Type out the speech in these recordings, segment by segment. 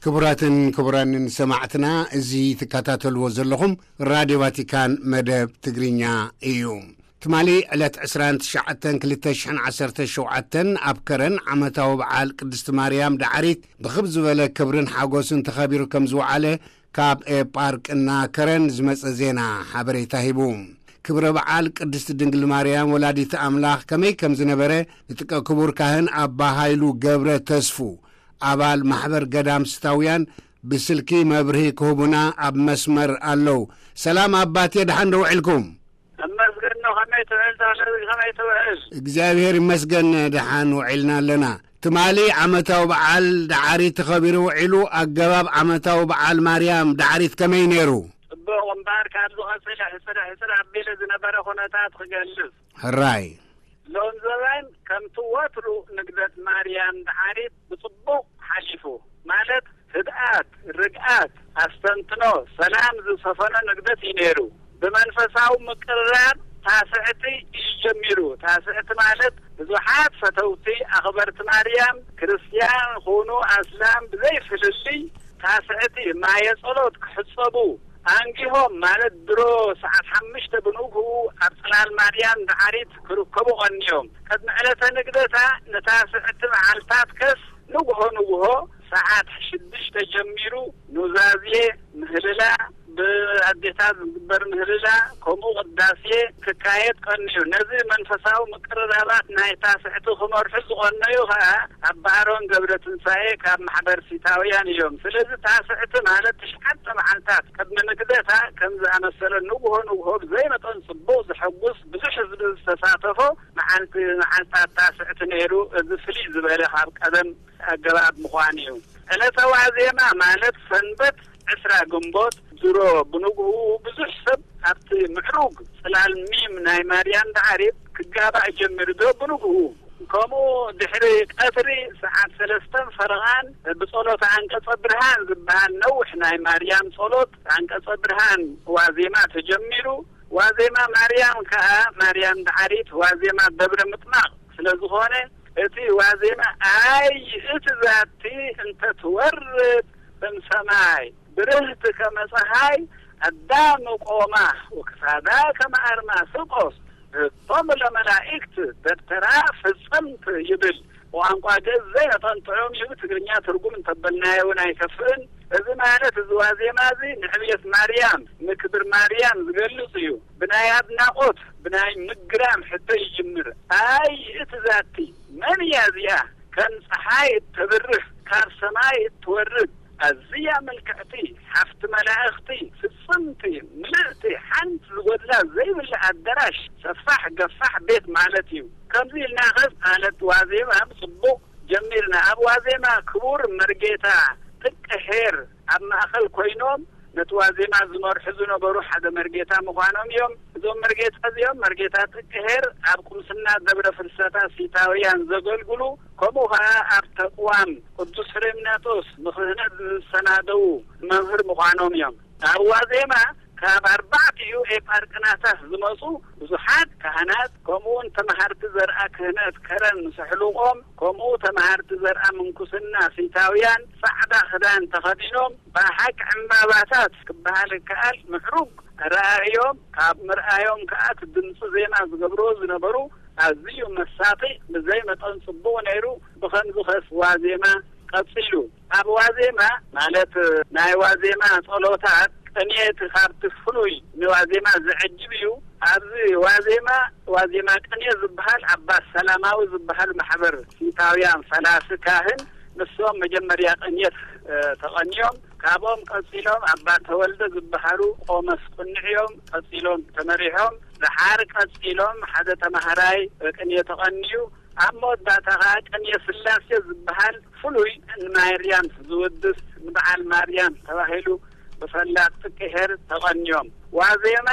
ክቡራትን ክቡራንን ሰማዕትና፣ እዚ ትከታተልዎ ዘለኹም ራድዮ ቫቲካን መደብ ትግርኛ እዩ። ትማሊ ዕለት ዕስራን ትሽዓተን ክልተ ሽሕን ዓሰርተ ሸውዓተን ኣብ ከረን ዓመታዊ በዓል ቅድስቲ ማርያም ደዓሪት ብኽብ ዝበለ ክብርን ሓጎስን ተኸቢሩ ከም ዝወዓለ ካብ ኤጳርቅና ከረን ዝመጸ ዜና ሓበሬታ ሂቡ። ክብረ በዓል ቅድስቲ ድንግል ማርያም ወላዲት ኣምላኽ ከመይ ከም ዝነበረ ንጥቀ ክቡር ካህን ኣባ ሃይሉ ገብረ ተስፉ፣ ኣባል ማሕበር ገዳም ስታውያን፣ ብስልኪ መብርሂ ክህቡና ኣብ መስመር ኣለዉ። ሰላም ኣባቴ፣ ደሓን ዶ ውዒልኩም? እመስገን ነው። ከመይ ትውዕል ተኽለ? ከመይ ትውዕል? እግዚኣብሔር ይመስገን፣ ደሓን ውዒልና ኣለና። ትማሊ ዓመታዊ በዓል ደዓሪት ተኸቢሩ ውዒሉ። ኣገባብ ዓመታዊ በዓል ማርያም ደዓሪት ከመይ ነይሩ? ጽቡቕ እምበኣር፣ ካብ ዝቐጽል ሕጽር ሕጽር ኣቢለ ዝነበረ ኩነታት ክገልጽ። ሕራይ። ሎም ዘበን ከምቲ ወትሩ ንግደት ማርያም ደዓሪት ብጽቡቕ ሓሊፉ፣ ማለት ህድኣት፣ ርግኣት፣ ኣስተንትኖ፣ ሰላም ዝሰፈኖ ንግደት እዩ ነይሩ። ብመንፈሳዊ ምቅርራብ ታስዕቲ እዩ ጀሚሩ። ታስዕቲ ማለት ብዙሓት ፈተውቲ ኣኽበርቲ ማርያም፣ ክርስትያን ኹኑ ኣስላም ብዘይ ፍልልይ፣ ታስዕቲ ማየ ጸሎት ክሕጸቡ ኣንጊሆም፣ ማለት ድሮ ሰዓት ሓሙሽተ ብንግሁ ኣብ ጽላል ማርያም ደዓሪት ክርከቡ ቀንዮም። ቅድሚ ዕለተ ንግደታ ንታስዕቲ መዓልታት ከስ ንግሆ ንግሆ ሰዓት ሽዱሽተ ጀሚሩ ኑዛዜ፣ ምህልላ፣ ብኣዴታት ዝግበር ምህልላ፣ ከምኡ ቅዳሴ ክካየድ ቀንዩ። ነዚ መንፈሳዊ ምቅርራባት ናይ ታስዕቲ ክመርሑ ዝቐነዩ ኸኣ ኣባ ኣሮን ገብረ ትንሳኤ ካብ ማሕበር ሲታውያን እዮም። ስለዚ ታስዕቲ ማለት ትሽዓተ መዓልታት ቅድሚ ንግደታ ከም ዝኣመሰለ ንግሆ ንግሆ ብዘይ መጠን ጽቡቕ ዘሐጉስ ብዙሕ ህዝቢ ዝተሳተፎ መዓልቲ መዓልታት ታስዕቲ ነይሩ። እዚ ፍልይ ዝበለ ካብ ቀደም ኣገባብ ምዃኑ እዩ። ዕለተ ዋዜማ ማለት ሰንበት ዕስራ ግንቦት ድሮ ብንግሁ ብዙሕ ሰብ ኣብቲ ምዕሩግ ጽላል ሚም ናይ ማርያም ደዓሪት ክጋባእ ጀሚሩ። ዶ ብንግሁ ከምኡ ድሕሪ ቀትሪ ሰዓት ሰለስተን ፈረቓን ብጸሎት ኣንቀጸ ብርሃን ዝበሃል ነዊሕ ናይ ማርያም ጸሎት ኣንቀጸ ብርሃን ዋዜማ ተጀሚሩ። ዋዜማ ማርያም ከኣ ማርያም ደዓሪት ዋዜማ ደብረ ምጥማቕ ስለ ዝኾነ እቲ ዋዜማ ኣይ እቲ ዛቲ እንተ ትወርድ እምሰማይ ብርህቲ ከመ ጸሓይ ኣዳም ቆማ ወክሳዳ ከመ ኣርማስቆስ እቶም ለመላእክት ደብተራ ፍጽምት ይብል። ብቋንቋ ግእዝ ዘይነጠንጥዖም እዩ። ትግርኛ ትርጉም እንተበልናዮ እውን ኣይከፍእን። እዚ ማለት እዚ ዋዜማ እዚ ንዕብየት ማርያም፣ ንክብር ማርያም ዝገልጽ እዩ። ብናይ ኣድናቖት፣ ብናይ ምግራም ሕቶ ይጅምር። ኣይ እቲ ዛቲ መን እያ እዚኣ? ከም ጸሓይ እተብርህ፣ ካብ ሰማይ እትወርድ፣ ኣዝያ ምልክዕቲ፣ ሓፍቲ መላእኽቲ፣ ፍጽምቲ፣ ምልእቲ፣ ሓንቲ ዝጎድላ ዘይብላ ኣዳራሽ፣ ሰፋሕ ገፋሕ ቤት ማለት እዩ። ከምዚ ኢልና ኸስ ማለት ዋዜማ ብጽቡቕ ጀሚርና። ኣብ ዋዜማ ክቡር መርጌታ ጥቀ ኄር ኣብ ማእከል ኮይኖም ነቲ ዋዜማ ዝመርሑ ዝነበሩ ሓደ መርጌታ ምዃኖም እዮም። እዞም መርጌታ እዚኦም መርጌታ ጥቀ ኄር ኣብ ቁምስና ደብረ ፍልሰታ ሲታውያን ዘገልግሉ፣ ከምኡ ኸኣ ኣብ ተቅዋም ቅዱስ ፍሬምናጦስ ንክህነት ዝሰናደዉ መምህር ምዃኖም እዮም። ኣብ ዋዜማ ካብ ኣርባዕቲኡ ኤጳርቅናታት ዝመጹ ብዙሓት ካህናት፣ ከምኡውን ተመሃርቲ ዘርኣ ክህነት ከረን ምስ ኣሕሉቖም፣ ከምኡ ተመሃርቲ ዘርኣ ምንኩስና ሲታውያን ጻዕዳ ክዳን ተኸዲኖም፣ ብሓቂ ዕምባባታት ክበሃል ይከኣል ምዕሩግ ኣረኣእዮም፣ ካብ ምርኣዮም ከኣ እቲ ድምጺ ዜማ ዝገብርዎ ዝነበሩ ኣዝዩ መሳጢ፣ ብዘይ መጠን ጽቡቕ ነይሩ። ብኸምዚ ኸስ ዋዜማ ቀጺሉ። ኣብ ዋዜማ ማለት ናይ ዋዜማ ጸሎታት ቅኔ እቲ ካብቲ ፍሉይ ንዋዜማ ዝዕጅብ እዩ። ኣብዚ ዋዜማ፣ ዋዜማ ቅኔ ዝበሃል ኣባ ሰላማዊ ዝበሃል ማሕበር ሲታውያን ፈላሲ ካህን ንሶም መጀመርያ ቅኔት፣ እ፣ ተቐንዮም። ካብኦም ቀጺሎም ኣባ ተወልደ ዝበሃሉ ቆመስ ቅንዕ እዮም። ቀጺሎም ተመሪሖም። ደሓር ቀጺሎም ሓደ ተማሃራይ ቅኔ ተቐንዩ። ኣብ መወዳእታ ኸኣ ቅኔ ስላሴ ዝበሃል ፍሉይ ንማርያም ዝውድስ ንበዓል ማርያም ተባሂሉ ብፈላጥ ጥቀ ኄር ተቐንዮም። ዋዜማ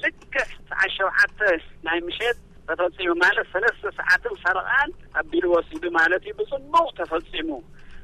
ልክዕ ሰዓት ሸውዓተ ናይ ምሸት ተፈጺሙ፣ ማለት ሰለስተ ሰዓትን ፈረቓን ኣቢሉ ወሲዱ ማለት እዩ። ብጽቡቕ ተፈጺሙ።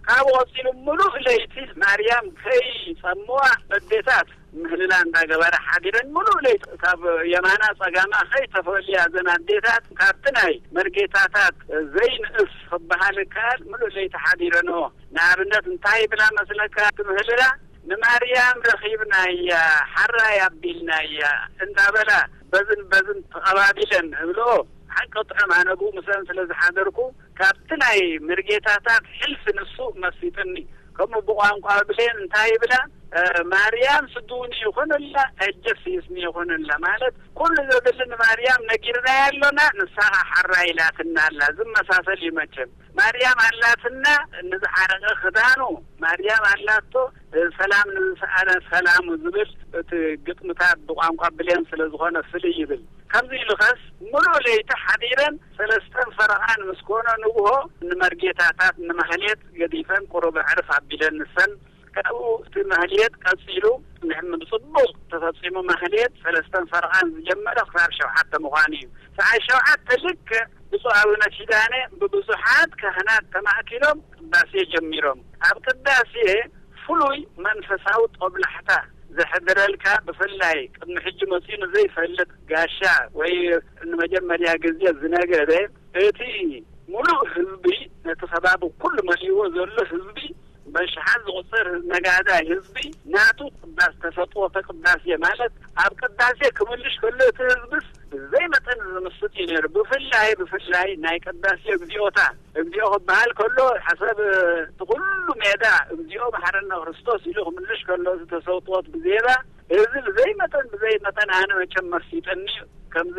ካብኡ ቀጺሉ ምሉእ ለይቲ ማርያም ከይጸምዋ በዴታት ምህልላ እንዳገበራ ሓዲረን፣ ሙሉእ ለይቲ ካብ የማና ጸጋማ ከይተፈልያ፣ እዘን ኣዴታት ካብቲ ናይ መርጌታታት ዘይንእስ ክበሃል ይከኣል፣ ሙሉእ ለይቲ ሓዲረንኦ። ንኣብነት እንታይ ይብላ መስለካ? እቲ ምህልላ፣ "ንማርያም ረኺብናያ፣ ሓራይ ኣቢልናያ" እንዳበላ በዝን በዝን ተቐባቢለን እብልኦ። ሓቂ ጥዑም፣ ኣነ ብኡ ምስለን ስለ ዝሓደርኩ፣ ካብቲ ናይ መርጌታታት ሕልፊ ንሱ መሲጥኒ። ከምኡ ብቋንቋ ብሌን እንታይ ይብላ? እ፣ "ማርያም ስድውኒ ይኹንላ፣ እጀስ ይስኒ ይኹንላ" ማለት፣ ኩሉ ዘድሊ ንማርያም ነጊርናያ ኣሎና፣ ንሳ ኸዓ ሓራ ኢላትና ኣላ። ዝመሳሰል እዩ መቸም። ማርያም ኣላትና ንዝዓረቐ ክዳኑ፣ ማርያም ኣላቶ፣ እ፣ "ሰላም ንዝሰኣነ ሰላሙ" ዝብል እቲ ግጥምታት ብቋንቋ ብሌን ስለ ዝኾነ ፍልይ ይብል። ከምዚ ኢሉ ኸስ ሙሉእ ለይቲ ሓዲረን ሰለስተን ፈረቓን ምስ ኮነ ንግሆ ንመርጌታታት ንማህሌት ገዲፈን ቁሩብ ኣዕርፍ ኣቢለን ንሰን ካብኡ እቲ ማህሌት ቀጺሉ ንሕም ብጽቡቕ ተፈጺሙ። ማህሌት ሰለስተን ፈረቓን ዝጀመረ ክሳብ ሸውዓተ ምዃኑ እዩ። ሰዓት ሸውዓተ ልክዕ ብፁዕ ኣቡነ ኪዳነ ብብዙሓት ካህናት ተማእኪሎም ቅዳሴ ጀሚሮም። ኣብ ቅዳሴ ፍሉይ መንፈሳዊ ጦብላሕታ ዘሕድረልካ፣ ብፍላይ ቅድሚ ሕጂ መጺኡ ንዘይፈልጥ ጋሻ ወይ ንመጀመርያ ግዜ ዝነገደ፣ እቲ ሙሉእ ህዝቢ፣ ነቲ ከባቢ ኩሉ መሊእዎ ዘሎ ህዝቢ፣ በሽሓት ዝቑጸር ነጋዳይ ህዝቢ ናቱ ቅዳስ ተሰጥኦ ተቅዳሴ ማለት፣ ኣብ ቅዳሴ ክምልሽ ከሎ እቲ ህዝብስ ብዘይ መጠን ዝምስጥ እዩ ነይሩ። ብፍላይ፣ ብፍላይ ናይ ቅዳሴ እግዚኦታ፣ እግዚኦ ክበሃል ከሎ፣ ሓሳብ እቲ ኩሉ ሜዳ እግዚኦ መሓረና ክርስቶስ ኢሉ ክምልሽ ከሎ፣ እዚ ተሰጥኦት ብዜባ፣ እዚ ብዘይ መጠን፣ ብዘይ መጠን ኣነ መቸም መሲጠኒ። ከምዚ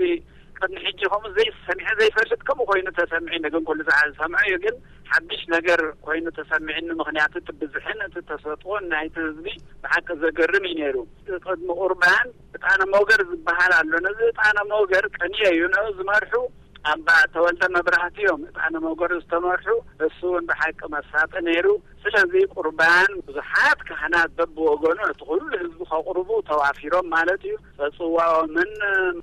ቅድሚ ሕጂ ከምኡ ዘይሰሚዐ ዘይፈልጥ፣ ከምኡ ኮይኑ ተሰሚዑ፣ ግን ኩሉ ሰዓት ዝሰምዖ እዩ። ግን ሓድሽ ነገር ኮይኑ ተሰሚዕኒ፣ ምኽንያቱ እቲ ብዝሕን እቲ ተሰጥኦን ናይቲ ህዝቢ ብሓቂ ዘገርም እዩ ነይሩ። ቅድሚ ቁርባን ዕጣነ ሞገር ዝበሃል ኣሎ። ነዚ ዕጣነ ሞገር ቅኔ እዩ ነኡ ዝመርሑ ኣባ ተወልደ መብራህቲ እዮም። ዕጣነ ሞገር ዝተመርሑ፣ እሱ እውን ብሓቂ መሳጢ ነይሩ። ስለዚ ቁርባን ብዙሓት ካህናት በብወገኑ እቲ ኩሉ ህዝቢ ከቕርቡ ተዋፊሮም ማለት እዩ። ጽዋኦምን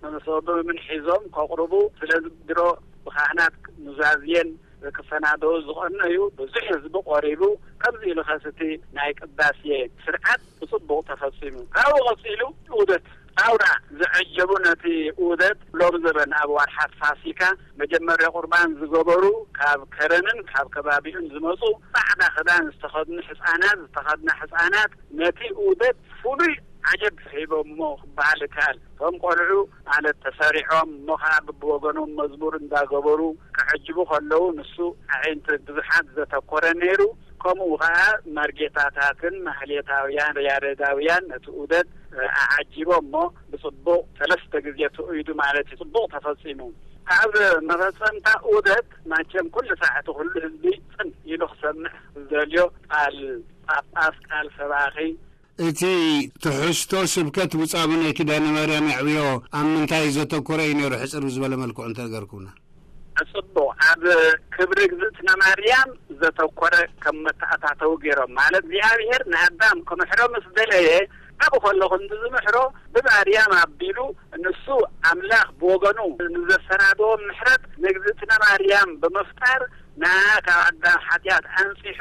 መሶቦምን ሒዞም ከቕርቡ። ስለዚ ድሮ ብካህናት ኑዛዝየን ክሰናደው ዝቐነዩ ብዙሕ ህዝቢ ቆሪቡ። ከምዚ ኢሉ ኸስ እቲ ናይ ቅዳሴ ስርዓት ብጽቡቕ ተፈጺሙ። ካብኡ ቀጺሉ ዑደት ኣውራ ዘዐጀቡ፣ ነቲ ዑደት ሎም ዘበን ኣብ ዋርሓት ፋሲካ መጀመርያ ቁርባን ዝገበሩ፣ ካብ ከረንን ካብ ከባቢኡን ዝመጹ፣ ጻዕዳ ክዳን ዝተኸድኑ ህጻናት፣ ዝተኸድና ህጻናት ነቲ ዑደት ፍሉይ ዓጀብ ሂቦሞ ክበሃል ይከኣል። እቶም ቆልዑ ማለት ተሰሪዖም፣ እሞ ኸዓ ብብወገኖም መዝሙር እንዳገበሩ ክዕጅቡ ከለዉ፣ ንሱ ኣዒንቲ ብዙሓት ዘተኮረ ነይሩ። ከምኡ ኸዓ መርጌታታትን ማህሌታውያን፣ ያሬዳውያን ነቲ ዑደት ኣዓጂቦም፣ እሞ ብጽቡቕ ሰለስተ ግዜ ተኡይዱ ማለት እዩ። ጽቡቕ ተፈጺሙ። ኣብ መፈጸምታ ዑደት ማቸም ኩሉ ሳዕ እቲ ኩሉ ህዝቢ ጽን ኢሉ ክሰምዕ ዝደልዮ፣ ቃል ጳጳስ፣ ቃል ሰባኺ፣ እቲ ትሕዝቶ ስብከት ብፁዕ ኣቡነ ኪዳነ ማርያም የዕብዮ ኣብ ምንታይ ዘተኮረ እዩ ነይሩ? ሕጽር ብዝበለ መልክዑ እንተነገርኩምና። ጽቡቕ። ኣብ ክብሪ እግዝእትነ ማርያም ዘተኮረ ከም መተኣታተዊ ገይሮም፣ ማለት እግዚኣብሔር ንኣዳም ክምሕሮ ምስ ደለየ፣ ኣብኡ ከሎ ክንዲ ዝምሕሮ ብማርያም ኣቢሉ፣ ንሱ ኣምላኽ ብወገኑ ንዘሰናደዎ ምሕረት ንእግዝእትነ ማርያም ብምፍጣር፣ ንዓ ካብ ኣዳም ሓጢኣት ኣንጺሑ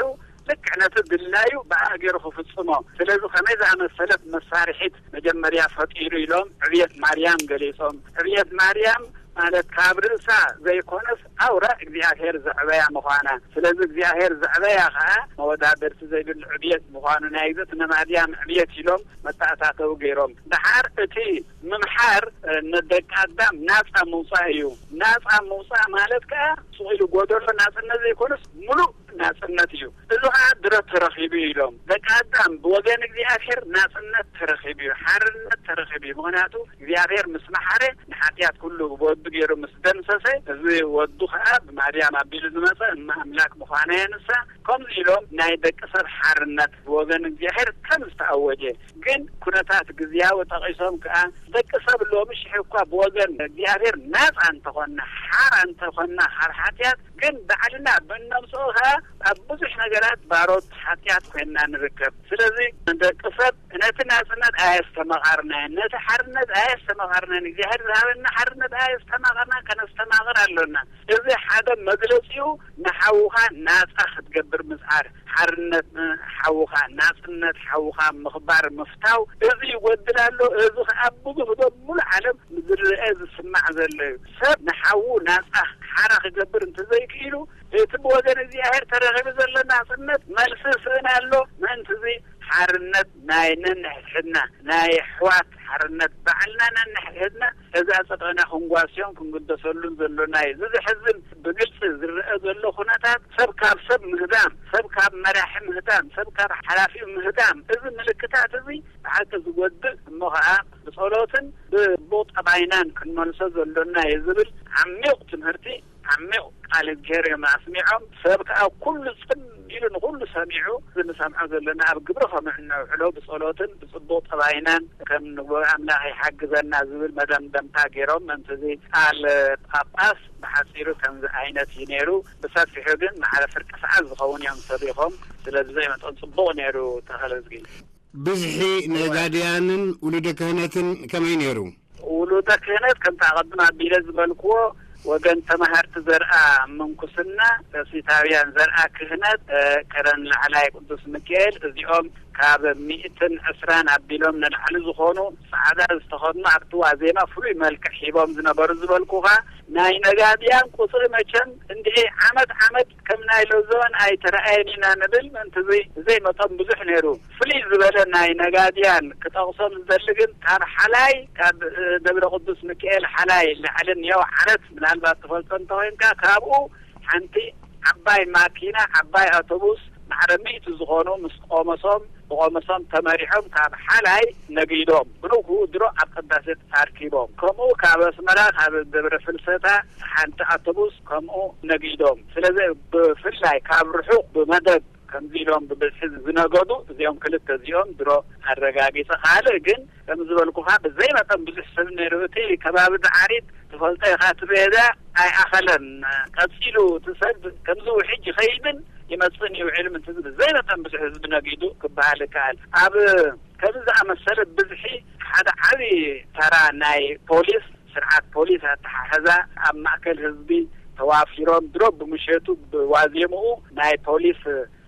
ልክዕ ነቲ ድላዩ ብኣ ገይሩ ክፍጽሞ። ስለዚ ከመይ ዝኣመሰለት መሳርሒት መጀመርያ ፈጢሩ ኢሎም ዕብየት ማርያም ገሊጾም። ዕብየት ማርያም ማለት ካብ ርእሳ ዘይኮነስ ኣውራ እግዚኣብሔር ዘዕበያ ምዃና። ስለዚ እግዚኣብሔር ዘዕበያ ኸዓ መወዳደርቲ ዘይብሉ ዕብየት ምዃኑ ናይ እግዝእትነ ማርያም ዕብየት ኢሎም መተኣታተዊ ገይሮም። ደሓር እቲ ምምሓር፣ እ፣ ንደቂ ኣዳም ናጻ ምውጻእ እዩ። ናጻ ምውጻእ ማለት ከኣ ሱቕ ኢሉ ጎደሎ ናጽነት ዘይኮነስ ምሉእ ናጽነት እዩ። እዚ ኸኣ ድረት ተረኺቡ እዩ ኢሎም። ደቂ ኣዳም ብወገን እግዚኣብሔር ናጽነት ተረኺቡ እዩ፣ ሓርነት ተረኺቡ እዩ። ምኽንያቱ እግዚኣብሔር ምስ መሓረ ንሓጢኣት ኩሉ ወዱ ገይሩ ምስ ደምሰሰ፣ እዚ ወዱ ኸኣ ብማርያም ኣቢሉ ዝመጸ እመ ኣምላክ ምዃና እያ ንሳ። ከምዚ ኢሎም ናይ ደቂ ሰብ ሓርነት ብወገን እግዚኣብሔር ከም ዝተኣወጀ፣ ግን ኩነታት ግዝያዊ ጠቒሶም ከኣ፣ ደቂ ሰብ ሎሚ ሽሕ እኳ ብወገን እግዚኣብሔር ናጻ እንተኾንና፣ ሓራ እንተኾንና ካብ ሓጢኣት፣ ግን ባዕልና ብእነምጽኦ ከኣ ኣብ ብዙሕ ነገራት ባሮት ሓጢኣት ኮይንና ንርከብ። ስለዚ ደቂ ሰብ ነቲ ናጽነት ኣየስተማቐርናዮን፣ ነቲ ሓርነት ኣየስተማቐርናዮን፣ እግዚኣብሔር ዝሃበና ሓርነት ኣየስተማቐርና፣ ከነስተማቕር ኣሎና። እዚ ሓደ መግለጺኡ ንሓውኻ ናጻ ክትገብር ምጽዓር። ሓርነት ሓውኻ፣ ናጽነት ሓውኻ ምኽባር፣ ምፍታው፣ እዚ ይጎድል ኣሎ። እዚ ኸኣ ብዙሕ ዶ ሙሉ ዓለም ዝረአ ዝስማዕ ዘሎ እዩ። ሰብ ንሓዉ ናጻ ሓራ ክገብር እንተዘይክኢሉ፣ እቲ ብወገን እግዚኣብሔር ተረኺቡ ዘሎ ናጽነት መልሲ ስእን ኣሎ። ምእንቲ እዚ ሓርነት ናይ ነንሕድሕድና፣ ናይ ኣሕዋት ሓርነት ባዕልና ነንሕድሕድና እዚ ኣጸድቕና ክንጓስዮን ክንግደሰሉን ዘሎና እዩ። እዚ ዘሕዝን ብግልጺ ዝረአ ዘሎ ኩነታት ሰብ ካብ ሰብ ምህዳም፣ ሰብ ካብ መራሒ ምህዳም፣ ሰብ ካብ ሓላፊኡ ምህዳም፣ እዚ ምልክታት እዚ ብሓቂ ዝጎድእ እሞ ኸኣ ብጸሎትን ብጽቡቕ ጠባይናን ክንመልሶ ዘሎና እዩ ዝብል ዓሚቕ ትምህርቲ፣ ዓሚቕ ቃል እግዚኣብሔር እዮም ኣስሚዖም። ሰብ ከኣ ኩሉ ጽን ኢሉ ንኹሉ ሰሚዑ፣ እዚ ንሰምዖ ዘለና ኣብ ግብሪ ከም እነውዕሎ ብጸሎትን ብጽቡቕ ጠባይናን ከም ንግበሮ ኣምላኽ ይሓግዘና ዝብል መደምደምታ ገይሮም። ምእንቲ እዚ ቃል ጳጳስ ብሓጺሩ ከምዚ ዓይነት እዩ ነይሩ። ብሰፊሑ ግን ማዕረ ፍርቂ ሰዓት ዝኸውን እዮም ሰቢኾም። ስለዚ ዘይመጠን ጽቡቕ ነይሩ። ተኸለዝጊ። ብዝሒ ነጋድያንን ውሉደ ክህነትን ከመይ ነይሩ? ውሉደ ክህነት ከምቲ ኣቐድም ኣቢለ ዝበልክዎ ወገን ተማሃርቲ ዘርኣ ምንኩስና፣ ደሴታውያን ዘርኣ ክህነት፣ እ፣ ከረን ላዕላይ ቅዱስ ሚካኤል፣ እዚኦም ካብ ሚእትን ዕስራን ኣቢሎም ንላዕሊ ዝኾኑ ጻዕዳ ዝተኸድኑ ኣብቲ ዋዜማ ፍሉይ መልክዕ ሂቦም ዝነበሩ ዝበልኩኻ ናይ ነጋድያን ቁጽሪ መቸም እንድዒ ዓመት ዓመት ከም ናይ ሎዘወን ኣይተረኣየን ኢና ንብል። ምእንቲ እዚ ዘይመጠን ብዙሕ ነይሩ። ፍልይ ዝበለ ናይ ነጋድያን ክጠቕሶም ዝደሊ ግን ካብ ሓላይ፣ ካብ፣ እ፣ ደብረ ቅዱስ ሚካኤል ሓላይ ላዕሊ እኒኦ ዓረት ምናልባት ትፈልጦ እንተኾይንካ ካብኡ ሓንቲ ዓባይ ማኪና፣ ዓባይ ኣውቶቡስ ማዕረ ሚእቲ ዝኾኑ ምስ ቆመሶም፣ ብቆመሶም ተመሪሖም ካብ ሓላይ ነጊዶም ብንግኡ ድሮ ኣብ ቅዳሴ ኣርኪቦም። ከምኡ ካብ ኣስመራ ካብ ደብረ ፍልሰታ ሓንቲ ኣውቶቡስ ከምኡ ነጊዶም። ስለዚ ብፍላይ ካብ ርሑቕ ብመደብ ከምዚ ኢሎም ብብዝሒ ዝነገዱ እዚኦም ክልተ እዚኦም ድሮ ኣረጋጊጸ። ካልእ ግን ከም ዝበልኩኻ ብዘይ መጠን ብዙሕ ሰብ ነይሩ። እቲ ከባቢ ዳዓሪት ትፈልጦ ኢኻ፣ እቲ ቤዛ ኣይኣኸለን። ቀጺሉ እቲ ሰብ ከምዚ ውሕጅ ይኸይድን ይመጽእን ይውዕል ምንትዚ ብዘይ መጠን ብዙሕ ህዝቢ ነጊዱ ክበሃል ይከኣል። ኣብ ከምዚ ዝኣመሰለ ብዝሒ ሓደ ዓቢ ተራ ናይ ፖሊስ፣ ስርዓት ፖሊስ ኣተሓሕዛ ኣብ ማእከል ህዝቢ ተዋፊሮም ድሮ ብምሸቱ ብዋዜምኡ ናይ ፖሊስ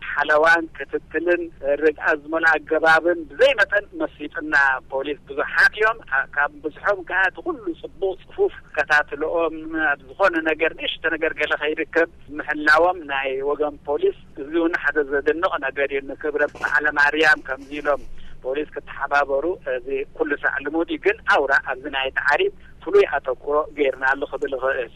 ሓለዋን ክትትልን ርግኣት ዝመልኦ ኣገባብን ብዘይ መጠን መሲጥና። ፖሊስ ብዙሓት እዮም። ካብ ብዝሖም ከኣ እቲ ኩሉ ጽቡቕ ጽፉፍ ከታትልኦም ኣብ ዝኾነ ነገር ንእሽቶ ነገር ገለ ከይርከብ ምሕላዎም ናይ ወገን ፖሊስ እዚ እውን ሓደ ዘደንቕ ነገር እዩ። ንክብረ በዓለ ማርያም ከምዚ ኢሎም ፖሊስ ክተሓባበሩ እዚ ኩሉ ሳዕ ልሙድ እዩ። ግን ኣውራ ኣብዚ ናይ ዳዓሪት ፍሉይ ኣተኩሮ ገይርናሉ ክብል እኽእል።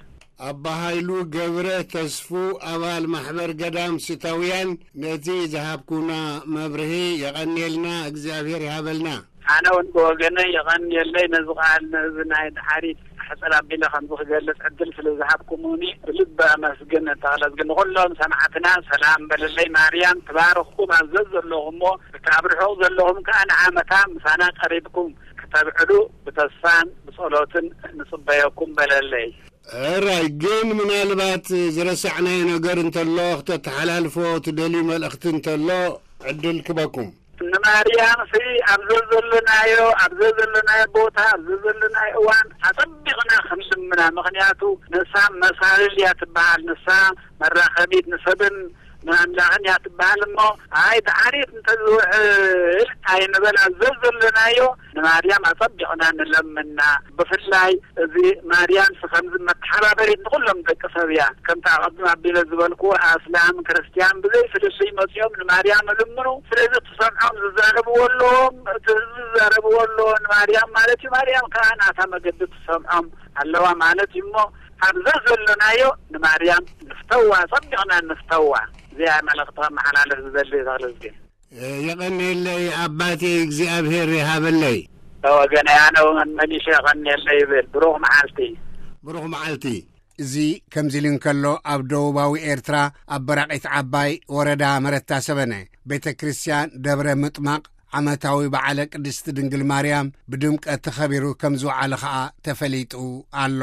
ኣባ ሃይሉ ገብረ ተስፉ ኣባል ማሕበር ገዳም ሲታውያን ነቲ ዝሃብኩና መብርሂ የቐንየልና፣ እግዚኣብሔር ይሃበልና። ኣነ እውን ብወገነይ የቐንየለይ ነዚ ቃል ነዚ ናይ ዳዓሪት ሕጽር ኣቢለ ከምዚ ክገልጽ ዕድል ስለ ዝሃብኩምኒ ብልቢ ኣመስግን። ተኽለዝግን ንኹሎም ሰማዕትና ሰላም በለለይ። ማርያም ትባርኽኩም ኣብ ዘዘለኹሞ፣ እቲ ኣብ ርሑቕ ዘለኹም ከኣ ንዓመታ ምሳና ቀሪብኩም ክተብዕሉ ብተስፋን ብጸሎትን ንጽበየኩም በለለይ። ሕራይ ግን ምናልባት ዝረሳዕናዮ ነገር እንተሎ ክተተሓላልፎ ትደልዩ መልእኽቲ እንተሎ ዕድል ክበኩም። ንማርያም ሲ ኣብ ዘዘለናዮ ኣብ ዘዘለናዮ ቦታ ኣብ ዘዘለናዮ እዋን ኣጸቢቕና ክንልምና። ምኽንያቱ ንሳ መሳልል እያ ትበሃል። ንሳ መራኸቢት ንሰብን ንኣምላኽን እያ ትበሃል። እሞ ኣይ ዳዓሪት እንተዝውዕል ኣይንበል። ኣብ ዘዘለናዮ ንማርያም ኣጸቢቕና ንለምና። ብፍላይ እዚ ማርያም ሲ ከምዚ መተሓባበሪት ንኹሎም ደቂ ሰብ እያ። ከምቲ ኣቐድም ኣቢለ ዝበልኩ ኣስላም ክርስትያን ብዘይ ፍልልይ መጺኦም ንማርያም እልምኑ። ስለዚ ትሰምዖም ዝዛረብዎ ኣለዎም፣ እቲ ህዝቢ ዝዛረብዎ ኣለዎ ንማርያም ማለት እዩ። ማርያም ከኣ ናታ መገዲ ትሰምዖም ኣለዋ ማለት እዩ። እሞ ኣብዛ ዘለናዮ ንማርያም ንፍተዋ፣ ጸቢቕና ንፍተዋ። እዚኣ መልእኽቲ ከመሓላልፍ ዝደሊ ተኽለዝግን። የቐንየለይ ኣባቴ እግዚኣብሔር ይሃበለይ። ወገነይ ኣነ እውን መሊሸ የቐንየለይ ይብል። ብሩኽ መዓልቲ። ብሩኽ መዓልቲ። እዚ ከምዚ ኢሉ እንከሎ ኣብ ደቡባዊ ኤርትራ ኣብ በራቒት ዓባይ ወረዳ መረታ ሰበነ ቤተ ክርስቲያን ደብረ ምጥማቕ ዓመታዊ በዓለ ቅድስቲ ድንግል ማርያም ብድምቀት ተኸቢሩ ከም ዝወዓለ ኸኣ ተፈሊጡ ኣሎ።